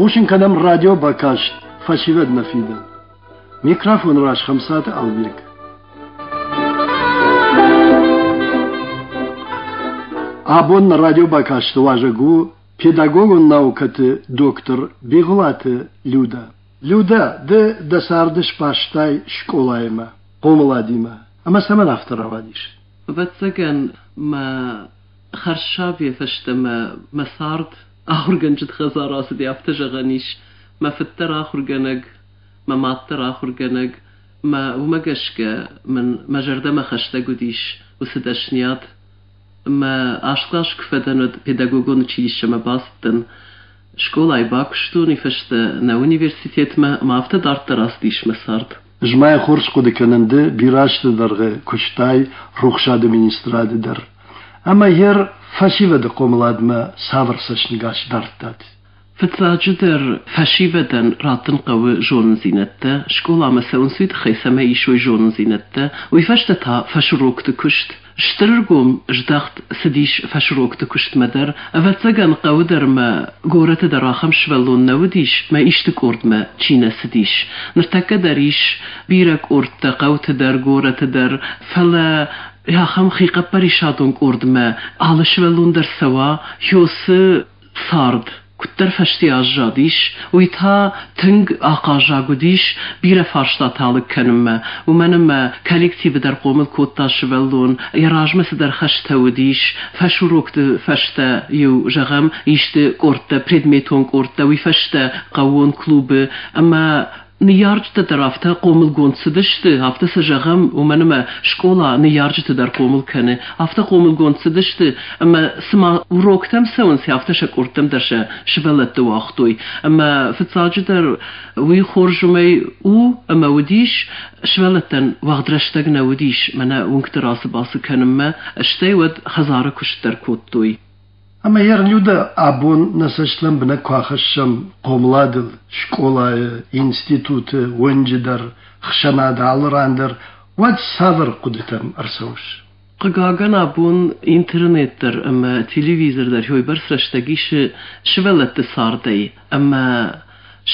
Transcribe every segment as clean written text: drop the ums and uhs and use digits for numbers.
Хъусын кӕнӕм радиобакаст «Фӕсивӕд нӕ фидӕн». Микрофоны раз Хӕмцаты Албег. Абон нӕ радиобакасты уазӕг у педагогон наукӕты доктор Бигъуылаты Людӕ. Людӕ, ды дӕ царды сбастай скъолаимӕ, хъомыладимӕ. Ӕмӕ цӕмӕн афтӕ рауадис? Ӕвӕццӕгӕн, мӕ хӕрзсабийӕ фӕстӕмӕ мӕ цард ахуыргӕнджыты хӕдзар ацыди, афтӕ зӕгъӕн ис. Мӕ фыд дӕр ахуыргӕнӕг, мӕ мад дӕр ахуыргӕнӕг. Мӕ уымӕ гӕсгӕ мын мӕ зӕрдӕмӕ хӕстӕг уыдис уыцы дӕсниад. Мӕ аст кълас куы фӕдӕн, уӕд педагогон училищемӕ бацыдтӕн. Скъолайы бакуыстон, уый фӕстӕ нӕ университетмӕ, ӕмӕ афтӕ дарддӕр ацыдис мӕ цард. Ӕз ма йӕ хорз хъуыды кӕнын, ды бирӕ азты дӕргъы куыстай рухсады министрады дӕр. Ӕмӕ йе фӕсивӕды хъомыладмӕ цавӕр цӕстӕнгас дардтат? Фыццаджыдӕр, фӕсивӕдӕн раттын хъӕуы зонындзинӕдтӕ, скъоламӕ цӕуынц уый тыххӕй, цӕмӕй исой зонындзинӕдтӕ, уый фӕстӕ та фӕсурокты куыст. Стыр ӕргом здӕхт цыдис фӕсурокты куыстмӕ дӕр. Ӕвӕццӕгӕн, хъӕуы дӕр ӕмӕ горӕты дӕр ахӕм сывӕллон нӕ уыдис, мӕ исты къордмӕ чи нӕ цыдис. Ныртӕккӕ дӕр ис бирӕ къордтӕ хъӕуты дӕр, горӕты дӕр, фӕлӕ ахӕм хихъӕппӕрисадон къордмӕ алы сывӕллон дӕр цӕуа, хёсы цард куыддӕр фӕсте аззадис, уый та тынг ахъаззаг уыдис бирӕ фарстатӕ алыг кӕнынмӕ, уымӕн ӕмӕ коллективы дӕр хъомыл кодта сывӕллон, йӕ размӕ цыдӕр хӕстӕ уыдис, фӕсурокты фӕстӕ-иу, зӕгъӕм, исты къордтӕ, предметон къордтӕ, уый фӕстӕ хъӕууон клубы ӕмӕ Ныййарджытӕ дӕр афтӕ хъомылгонд цыдысты, афтӕ сӕ зӕгъӕм, уымӕн ӕмӕ скъола ныййарджыты дӕр хъомыл кӕны. Афтӕ хъомылгонд цыдысты, ӕмӕ цыма уроктӕм цӕуынц, афтӕ сӕ къордтӕм дӕр сӕ сывӕллӕтты уагътой. Ӕмӕ фыццаджыдӕр уый хорз уымӕй у, ӕмӕ уыдис, сывӕллӕттӕн уӕгъд рӕстӕг нӕ уыдис мӕнӕ уынгты рацы-бацы кӕнынмӕ, стӕй уӕд хӕдзары куыст дӕр кодтой. Ӕмӕ йӕ Людӕ абон нӕ цӕст лӕмбынӕг куы ахӕссӕм хъомыладыл, скъолайы, институты, уынджы дӕр, хсӕнады алы ран дӕр, уӕд цавӕр хъуыдытӕм ӕрцӕуыс? Хъыгагӕн, абон интернет дӕр ӕмӕ телевизор дӕр уыйбӕрц рӕстӕг исы сывӕллӕтты цардӕй, ӕмӕ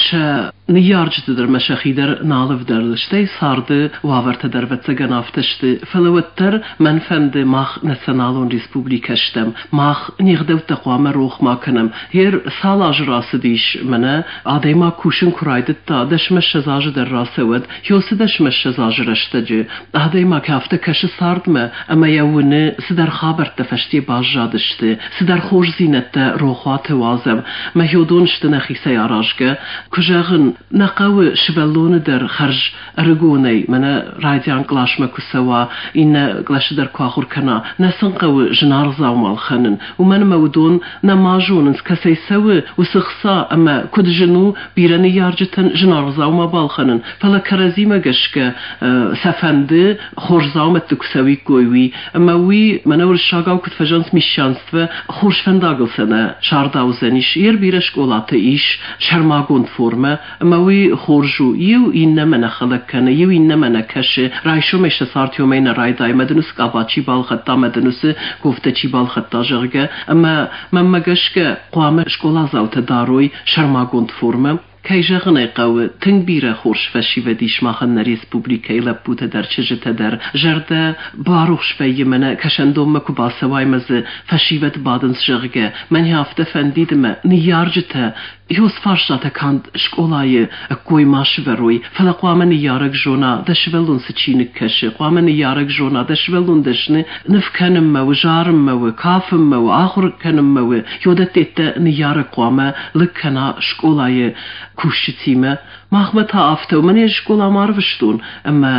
сӕ ныййарджыты дӕр ӕмӕ сӕхи дӕр нал ӕвдӕлы, стӕй царды уавӕртӕ дӕр ӕвӕццӕгӕн афтӕ сты, фӕлӕ уӕддӕр мӕн фӕнды, мах националон республикӕ стӕм, мах не гъдӕуттӕ хъуамӕ рох ма кӕнӕм. Гъер цал азы рацыдис, мӕнӕ адӕймаг кусын куы райдыдта, 10-20 азы дӕр рацӕуӕд, ёцы 10-20 азы рӕстӕджы адӕймаг афтӕ кӕсы цардмӕ ӕмӕ йӕ уыны, цыдӕр хабӕрттӕ фӕсте баззадысты, цыдӕр хорздзинӕдтӕ рохуаты уадзӕм, мӕ уыдон сты нӕхицӕй аразгӕ. Куы зӕгъын, нӕ хъӕуы сывӕллоны дӕр хӕрз ӕрыгонӕй, мӕнӕ райдиан къласмӕ куы цӕуа, иннӕ къласы дӕр куы ахуыр кӕна, нӕ сын хъӕуы зынаргъ дзаума ӕлхӕнын, уымӕн ӕмӕ уыдон нӕма зонынц, кӕцӕй цӕуы уыцы хца ӕмӕ куыд зын у бирӕ ныййарджытӕн зынаргъ дзаума балхӕнын, фӕлӕ кӕрӕдзимӕ гӕсгӕ сӕ фӕнды хорз дзаумӕтты куы цӕуиккой, уый. Ӕмӕ уый, мӕнӕ уырыссагау куыд фӕзӕгъынц, мещанство, хорз фӕндагыл сӕ нӕ сардаудзӕнис. Йе бирӕ скъолаты ис сӕрмагонд формӕ, ӕмӕ уый хорз у. Иу иннӕмӕ нӕ хӕлӕг кӕны, иу иннӕмӕ нӕ кӕсы. Райсомӕй сӕ цард уымӕй нӕ райдайы, мӕ дын уыцы къаба чи балхӕдта, мӕ дын уыцы кофтӕ чи балхӕдта, зӕгъгӕ. Ӕмӕ мӕнмӕ гӕсгӕ хъуамӕ скъоладзаутӕ дарой сӕрмагонд формӕ. Кӕй зӕгъын ӕй хъӕуы, тынг бирӕ хорз фӕсивӕд ис махӕн нӕ республикӕйы лӕппутӕ дӕр, чызджытӕ дӕр. Зӕрдӕ барухс вӕййы мӕнӕ кӕсӕндонмӕ куы бацӕуай ӕмӕ дзы фӕсивӕд бадынц, зӕгъгӕ. Мӕн афтӕ фӕндид ӕмӕ ныййарджытӕ Ёз фарстатӕ канд скъолайы ӕккой ма сывӕрой, фӕлӕ хъуамӕ ныййарӕг зона, дӕ сывӕллон цы чиныг кӕсы, хъуамӕ ныййарӕг зона, дӕ сывӕллон дӕсны ныв кӕнынмӕ у, зарынмӕ у, кафынмӕ у, ахуыр кӕнынмӕ у. Ёдӕттӕ ныййарӕг хъуамӕ лыг кӕна скъолайы кусджытимӕ. Махмӕ та афтӕ у, мӕнӕ скъоламӕ арвыстон, ӕмӕ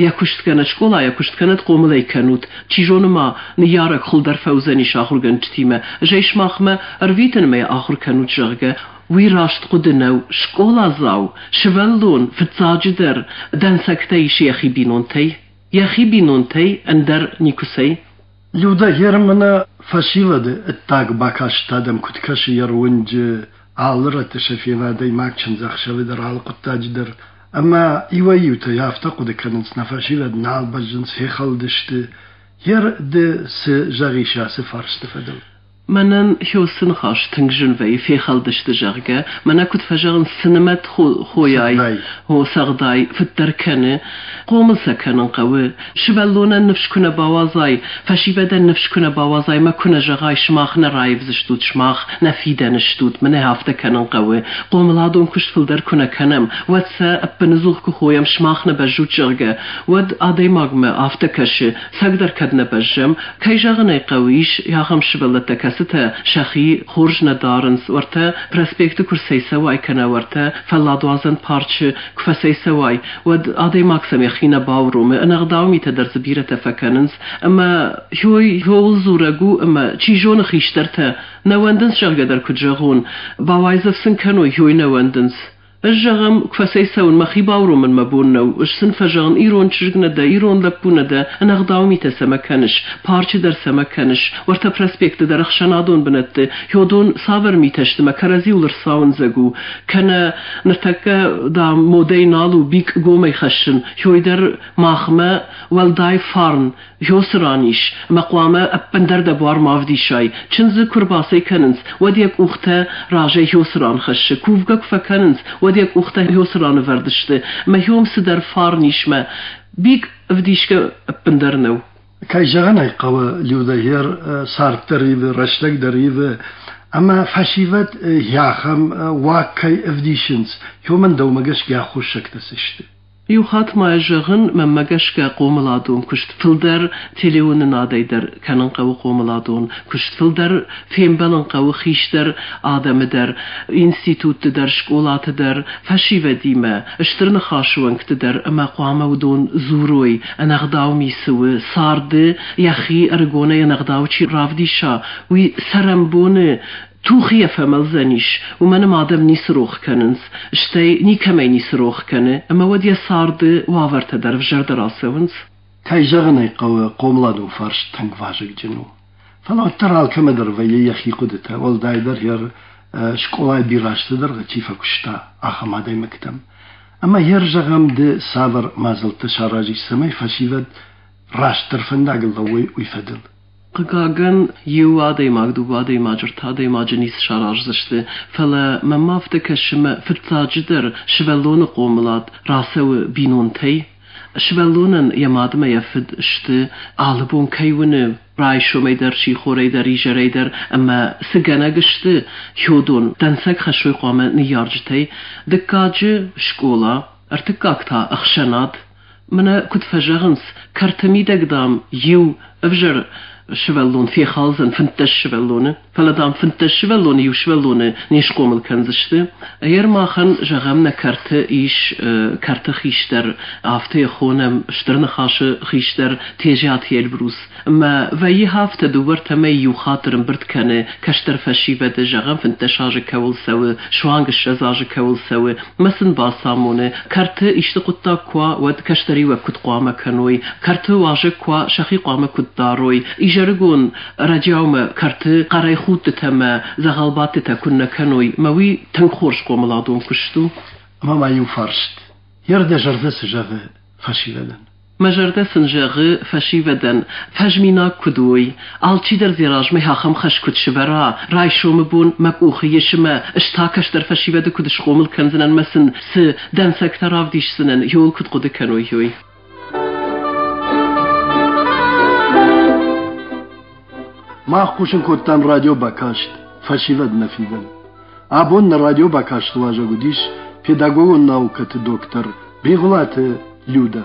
йӕ куыст кӕнӕд скъола, йӕ куыст кӕнӕд хъомыл ӕй кӕнут. Чи зоны ма ныййарӕг хуылдӕр фӕуыдзӕнис ахуыргӕнджытимӕ, ӕз ӕй сымахмӕ ӕрвитын ӕмӕ йӕ ахуыр кӕнут, зӕгъгӕ. Уый раст хъуыды нӕу. Скъоладзау, сывӕллон, фыццаджыдӕр, дӕнцӕгтӕ исы йӕхи бинонтӕй. Йӕхи бинонтӕй ӕндӕр никуыцӕй. Людӕ Германы фӕсивӕды ӕддаг бакаст адӕм куыд кӕсы йӕ руынджы алы рӕтты сӕ фены адӕймаг чындзӕхсӕвы дӕр, алы хъуыддаджы дӕр. Ӕмӕ иуӕй-иутӕ афтӕ хъуыды кӕнынц, нӕ фӕсивӕд нал бӕззынц, фехӕлдысты. Гер ды цы зӕгъис ацы фарсты фӕдыл? Мӕнӕн хёсы ныхас тынг зын вӕййы, фехӕлдысты, зӕгъгӕ. Мӕнӕ куыд фӕзӕгъынц, цы нымӕт хойай, хо цӕгъдай, фыддӕр кӕны. Хъомыл сӕ кӕнын хъӕуы. Сывӕллонӕн ныфс куы нӕ бауадзай, фӕсивӕдӕн ныфс куы нӕ бауадзай мӕ куы нӕ зӕгъай, сымах нӕ раивдзыстут, сымах нӕ фидӕны стут, мӕнӕ афтӕ кӕнын хъӕуы. Хъомыладон куыст фылдӕр куы нӕ кӕнӕм, уӕд сӕ ӕппыныдзух куы хойӕм, сымах нӕ бӕззут, зӕгъгӕ, уӕд адӕймагмӕ афтӕ кӕсы, цӕгдӕр кӕд нӕ бӕззӕм. Кӕй зӕгъын ӕй хъӕуы, ис ахӕм сывӕллӕттӕ, кӕцытӕ сӕхи хорз нӕ дарынц, уӕртӕ проспекты куы рцӕйцӕуай кӕнӕ уӕртӕ фӕлладуадзӕн парчы куы фӕцӕйцӕуай, уӕд адӕймаг сӕм йӕхи нӕ бауромы, ӕнӕгъдау митӕ дӕр дзы бирӕтӕ фӕкӕнынц. Ӕмӕ хьоуыл дзурӕг у, ӕмӕ чи зоны хистӕртӕ нӕ уӕндынц, зӕгъгӕ дӕр куыд зӕгъон, бауайдзӕф сын кӕной, хьой нӕ уӕндынц. Ӕз, зӕгъӕм, куы фӕцӕйцӕуын, мӕхи бауромын мӕ бон нӕу, ӕз сын фӕзӕгъын, ирон чызг нӕ дӕ, ирон лӕппу нӕ дӕ, ӕнӕгъдау митӕ цӕмӕ кӕныс, парчы дӕр цӕмӕ кӕныс, уӕртӕ проспекты дӕр ӕхсӕнадон бынӕтты, уыдон цавӕр митӕ сты, мӕ кӕрӕдзиуыл ӕрцауындзӕг у, кӕнӕ ныртӕккӕ, дам, модӕй нал у бикъ гомӕй хӕссын, хьой дӕр махмӕ уӕлдай фарн Ёсы ран ис, ӕмӕ хъуамӕ ӕппындӕр дӕ буар ма вдисай. Чындзы куы рбацӕй кӕнынц, уӕд йӕ къухтӕ разӕй ёсы ран хӕссы, кувгӕ куы фӕкӕнынц, уӕд йӕ къухтӕ ёсы ран ӕвӕрд сты, ӕмӕ ём цыдӕр фарн ис мӕ бик ӕвдисгӕ ӕппындӕр нӕу. Кӕй зӕгъын ӕй хъӕуы, Людӕгер цард дӕр ивы, рӕстӕг дӕр ивы, ӕмӕ фӕсивӕд ахӕм уаг кӕй ӕвдисынц, уымӕн дӕумӕ гӕсгӕ аххосӕгтӕ цы сты? Иу хатт ма зӕгъын, мӕнмӕ гӕсгӕ хъомыладон куыст фылдӕр телеуынынадӕй дӕр кӕнын хъӕуы хъомыладон куыст фылдӕр фембӕлын хъӕуы хистӕр адӕмы дӕр, институтты дӕр, скъолаты дӕр, фӕсивӕдимӕ, стыр ныхасы уӕнгты дӕр ӕмӕ хъуамӕ уыдон дзурой, ӕнӕгъдау ми цы у, царды йӕхи ӕрыгонӕй ӕнӕгъдау чи равдиса, уый цӕрӕнбоны тухийӕ фӕмӕлдзӕнис, уымӕн ӕмӕ адӕм ницы рох кӕнынц, стӕй никӕмӕй ницы рох кӕны, ӕмӕ уӕд йӕ царды уавӕртӕ дӕр ӕвзӕрдӕр ацӕуынц. Кӕй зӕгъын ӕй хъӕуы, хъомыладон фарст тынг вазыгджын у. Фӕлӕ уӕддӕр алкӕмӕ дӕр вӕййы йӕхи хъуыдытӕ, уӕлдайдӕр йӕ скъолайы бирӕ азты дӕргъы чи фӕкуыста, ахӕм адӕймӕгтӕм. Ӕмӕ йе рзӕгъӕм ды цавӕр мадзӕлттӕ саразис, цӕмӕй фӕсивӕд растдӕр фӕндагыл лӕууой, уый фӕдыл? Хъыгагӕн, иу адӕймаг, дыууӕ адӕймаджы, ӕртӕ адӕймаджы ницы сараздзысты, фӕлӕ мӕм афтӕ кӕсы мӕ фыццаджыдӕр сывӕллоны хъомылад рацӕуы бинонтӕй. Сывӕллонӕн йӕ мад ӕмӕ йӕ фыд сты, алы бон кӕй уыны, райсомӕй дӕр, сихорӕй дӕр, изӕрӕй дӕр ӕмӕ цы гӕнӕг сты, уыдон дӕнцӕг хӕссой хъуамӕ ныййарджытӕй. Дыккаджы скъола, ӕртыккаг та ӕхсӕнад. Мӕнӕ куыд фӕзӕгъынц, кӕрты мидӕг, дам, иу ӕвзӕр сывӕллон фехалдзӕн 15 сывӕллоны, фӕлӕ, дам, 15 сывӕллоны иу сывӕллоны не схъомыл кӕндзысты. Ӕгӕр махӕн, зӕгъӕм, нӕ кӕрты ис кӕрты хистӕр, афтӕ йӕ хонӕм, Стыр Ныхасы хистӕр Тезиаты Эльбрус. Ӕмӕ вӕййы афтӕ, дыууӕ-ӕртӕ мӕй иу хатт ӕрӕмбырд кӕны кӕстӕр фӕсивӕды, зӕгъӕм, 15 азы кӕуыл цӕуы, суанг 20 азы кӕуыл цӕуы, мӕ сын бацамоны, кӕрты исты хъуыддаг куы уа, уӕд кӕстӕриуӕг куыд хъуамӕ кӕной, кӕрты уазӕг куы уа, сӕхи хъуамӕ куыд дарой, изӕрыгон ӕрӕджиаумӕ кӕрты хъӕрӕй худтытӕ мӕ дзӕгъӕлбадтытӕ куыннӕ кӕной, мӕ уый тынг хорз хъомыладон куыст у. Ӕмӕ ма иу фарст. Йе рдӕ зӕрдӕ цы зӕгъы фӕсивӕдӕн? Мӕ зӕрдӕ сын зӕгъы фӕсивӕдӕн, фӕзминаг куыд уой, алчидӕр дзы размӕ ахӕм хӕс куыд сывӕра, райсомы бон мӕ къухы ис ӕмӕ ӕз та кӕстӕр фӕсивӕды куыд схъомыл кӕндзынӕн ӕмӕ сын цы дӕнцӕгтӕ равдисдзынӕн, иуыл куыд хъуыды кӕной, уый. Мах хъусын кодтам радиобакаст «Фӕсивӕд нӕ фидӕн». Абон нӕ радиобакасты уазӕг уыдис педагогон наукӕты доктор Бигъуылаты Людӕ.